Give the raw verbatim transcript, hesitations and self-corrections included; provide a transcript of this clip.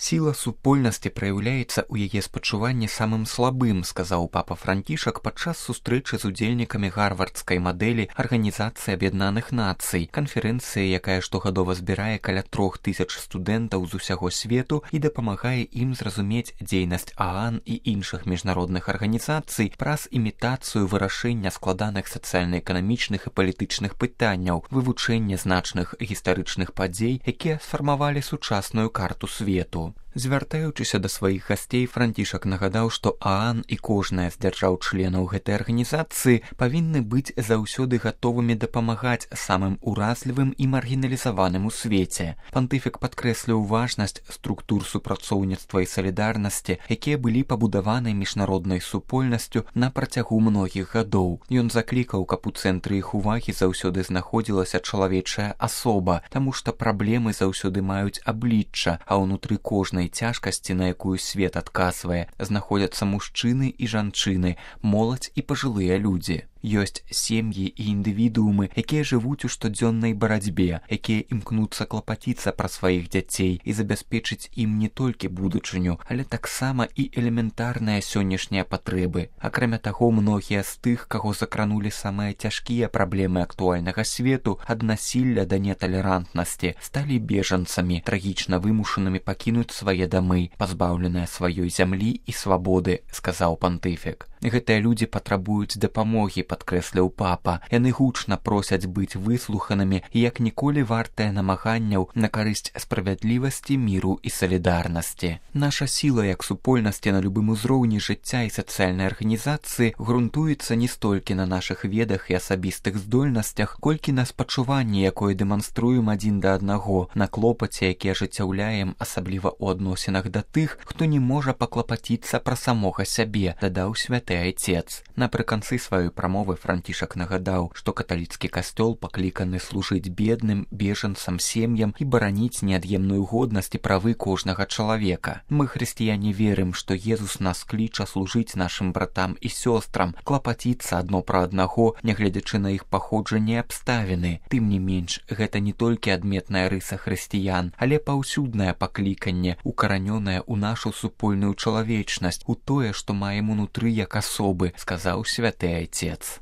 Сила супольнасці праяўляецца ў яе спачуванні самым слабым, сказаў папа Францішак падчас сустрэчы з удзельнікамі гарвардскай мадэлі Арганізацыі Аб'яднаных Нацый, канферэнцыі, якая штогадова збірае каля трох тысяч студэнтаў з усяго свету і дапамагае ім зразумець дзейнасць ААН і іншых міжнародных арганізацый праз імітацыю вырашэння складаных сацыяльна-эканамічных і палітычных пытанняў, вывучэнне значных гістарычных падзей, якія сфармавалі сучасную карту свету. Звяртаючыся да сваіх гасцей, Францішак нагадаў, што ААН і кожная з дзяржаў-членаў гэтай арганізацыі павінны быць заўсёды гатовымі дапамагаць самым уразлівым і маргіналізаваным у свеце. Пантыфік падкрэсліў важнасць структур супрацоўніцтва і салідарнасці, якія былі пабудаваны міжнароднай супольнасцю на працягу многіх гадоў. Ён заклікаў, каб у цэнтры іх увагі заўсёды знаходзілася чалавечая асоба, таму што праблемы заўсёды маюць аблічча, а ўнутры кожнай цяжкасці, на якую свет адказвае, знаходзяцца мужчыны і жанчыны, моладзь і пажылыя людзі. Ёсць сем'і і індывідуумы, якія жывуць у штодзённай барацьбе, якія імкнуцца клапаціцца пра сваіх дзяцей і забяспечыць ім не толькі будучыню, але таксама і элементарныя сённяшнія патрэбы. Акрамя таго, многія з тых, каго закранулі самыя цяжкія праблемы актуальнага свету, ад насілля да неталерантнасці, сталі бежанцамі, трагічна вымушанымі пакінуць свае дамы, пазбаўленыя сваёй зямлі і свабоды, сказаў пантыфік. Гэтыя людзі патрабуюць дапамогі, падкрэсліў папа. Яны гучна просяць быць выслуханымі і як ніколі вартыя намаганняў на карысць справядлівасці, міру і салідарнасці. Наша сіла як супольнасці на любым узроўні жыцця і сацыяльнай арганізацыі грунтуецца не столькі на нашых ведах і асабістых здольнасцях, колькі на спачуванні, якое дэманструем адзін да аднаго, на клопаце, які ажыццяўляем асабліва ў адносінах да тых, хто не можа паклапаціцца пра самога сябе, дадаў святы Айцец. Напрыканцы сваёй прамовы Францішак нагадаў, што каталіцкі касцёл пакліканы служыць бедным, бежанцам, сем'ям і бараніць неад'емную годнасць і правы кожнага чалавека. Мы, хрысціяне, верым, што Езус нас кліча служыць нашым братам і сёстрам, клапаціцца адно пра аднаго, нягледзячы на іх паходжанне і абставіны. Тым не менш, гэта не толькі адметная рыса хрысціян, але паўсюднае пакліканне, укаранёнае ў нашу супольную чалавечнасць, у тое, што маем унутры як асобы, сказаў святы Айцец.